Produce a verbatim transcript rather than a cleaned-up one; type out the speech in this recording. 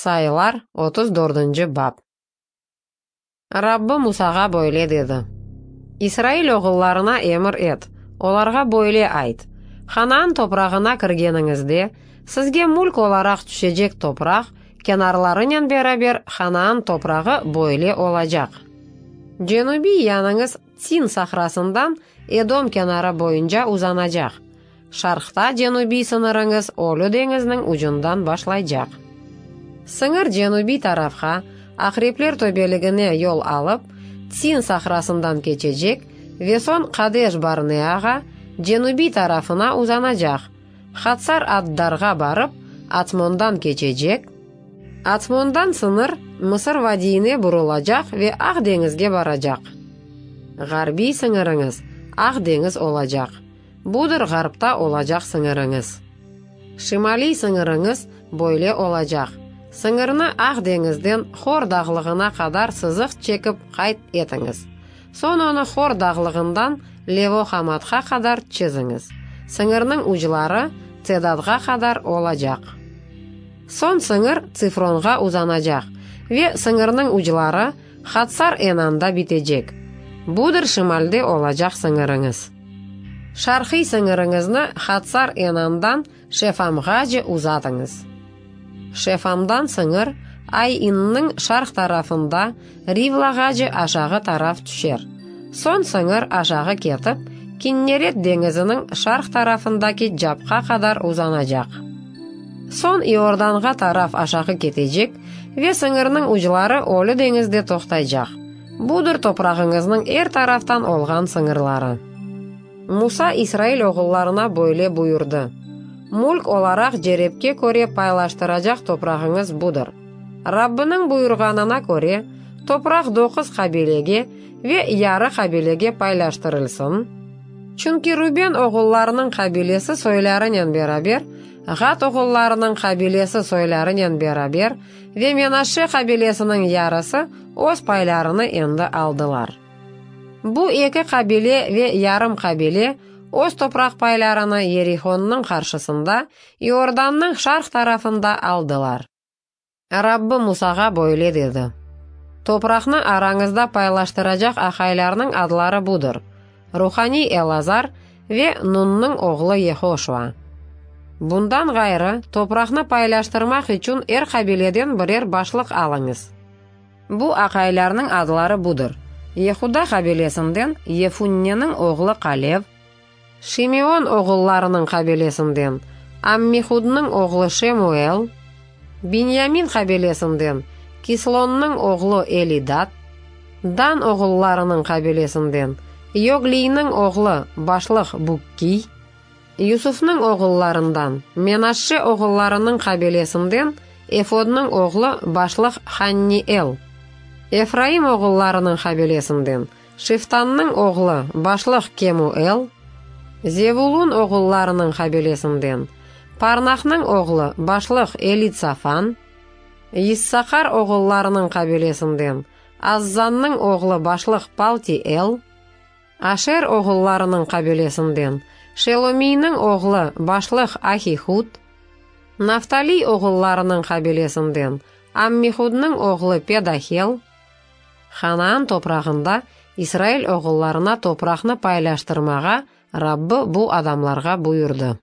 Sayılar, otuz dördünci bap. Rabbı Musağa böyle dedi: İsrail oğullarına emir et, olarğa böyle ayt: Hanaan toprağına kirgeniñizde, sizge mülk olaraq tüşecek topraq, kenarlarınen beraber Hanaan toprağı böyle olacaq. Cenübiy yanıñız Tsin sahrasından Edom kenarı boyunca uzanacaq. Şarqta cenübiy sıñırıñız Ölü deñizniñ ucundan başlaycaq. Sıñır cenübiy tarafqa, Aqrepler töpeligine yol alıp, Tsin sahrasından keçecek ve soñ Qadeş-Barneağa, cenübiy tarafına uzanacaq. Hatsar-Addarğa barıp, Atsmondan keçecek. Atsmondan sıñır Mısır vadiyine burulacaq ve Aq deñizge baracaq. Ğarbiy sıñırıñız Aq deñiz olacaq. Budır ğarpta olacaq sıñırıñız. Şimaliy sıñırıñız böyle olacaq. Sıñırnı Aq deñizden Hor dağlığına qadar sızıq çekip qayd etiñiz. Soñ onı Hor dağlığından Levo-Hamatqa qadar çiziñiz. Sıñırnıñ ucları Tsedadğa qadar olacaq. Soñ sıñır Tsifronğa uzanacaq ve sıñırnıñ ucları Hatsar-Enanda bitecek. Budır şimalde olacaq sıñırıñız. Şarqiy sıñırıñıznı Hatsar-Enandan Şefamğace uzatıñız. Şefamdan sıñır Ayinniñ şarq tarafında Rivlağace aşağı taraf tüşer. Soñ sıñır aşağı ketip, Kinneret deñiziniñ şarq tarafındaki capqa qadar uzanacaq. Soñ İordanğa taraf aşağı ketecek ve sıñırnıñ ucları Ölü deñizde toqtaycaq. Budır toprağıñıznıñ er taraftan olğan sıñırları. Musa İsrail oğullarına böyle buyurdı: Mülk olaraq cerepke köre paylaştıracaq toprağıñız budır. Rabbiniñ buyurğanına köre, topraq doquz qabilege ve yarı qabilege paylaştırılsın. Çünki Ruben oğullarınıñ qabilesi soylarınen beraber, Ğad oğullarınıñ qabilesi soylarınen beraber ve Menaşşe qabilesiniñ yarısı öz paylarını endi aldılar. Bu eki qabile ve yarım qabile öz topraq paylarını Yerihonnıñ qarşısında, İordannıñ şarq tarafında aldılar. Rabbı Musağa böyle dedi: Topraqnı arañızda paylaştıracaq aqaylarnıñ adları budır: Ruhaniy Elazar ve Nunnıñ oğlu Yehoşua. Bundan ğayrı, topraqnı paylaştırmaq içün er qabileden birer başlıq alıñız. Bu aqaylarnıñ adları budır: Yehuda qabilesinden Yefunneniñ oğlu Kalev, Şimeon oğullarınıñ qabilesinden Ammihudnıñ oğlu Şemuel, Binyamin qabilesinden Kislonnıñ oğlu Elidad, Dan oğullarınıñ qabilesinden Yogliyniñ oğlu başlıq Bukkiy, Yusufnıñ oğullarından Menaşşe oğullarınıñ qabilesinden Efodnıñ oğlu başlıq Hanniel, Efraim oğullarınıñ qabilesinden Şiftannıñ oğlu başlıq Kemuel, Zevulun oğullarınıñ qabilesinden Parnaqnıñ oğlu başlıq Elitsafan, Yissaqar oğullarınıñ qabilesinden Azzannıñ oğlu başlıq Paltiel, Aşer oğullarınıñ qabilesinden Şelomiyniñ oğlu başlıq Ahihud, Naftaliy oğullarınıñ qabilesinden Ammihudnıñ oğlu Pedahel, Hanaan toprağında İsrail oğullarına topraqnı paylaştırmağa Rabbı bu adamlarğa buyurdı.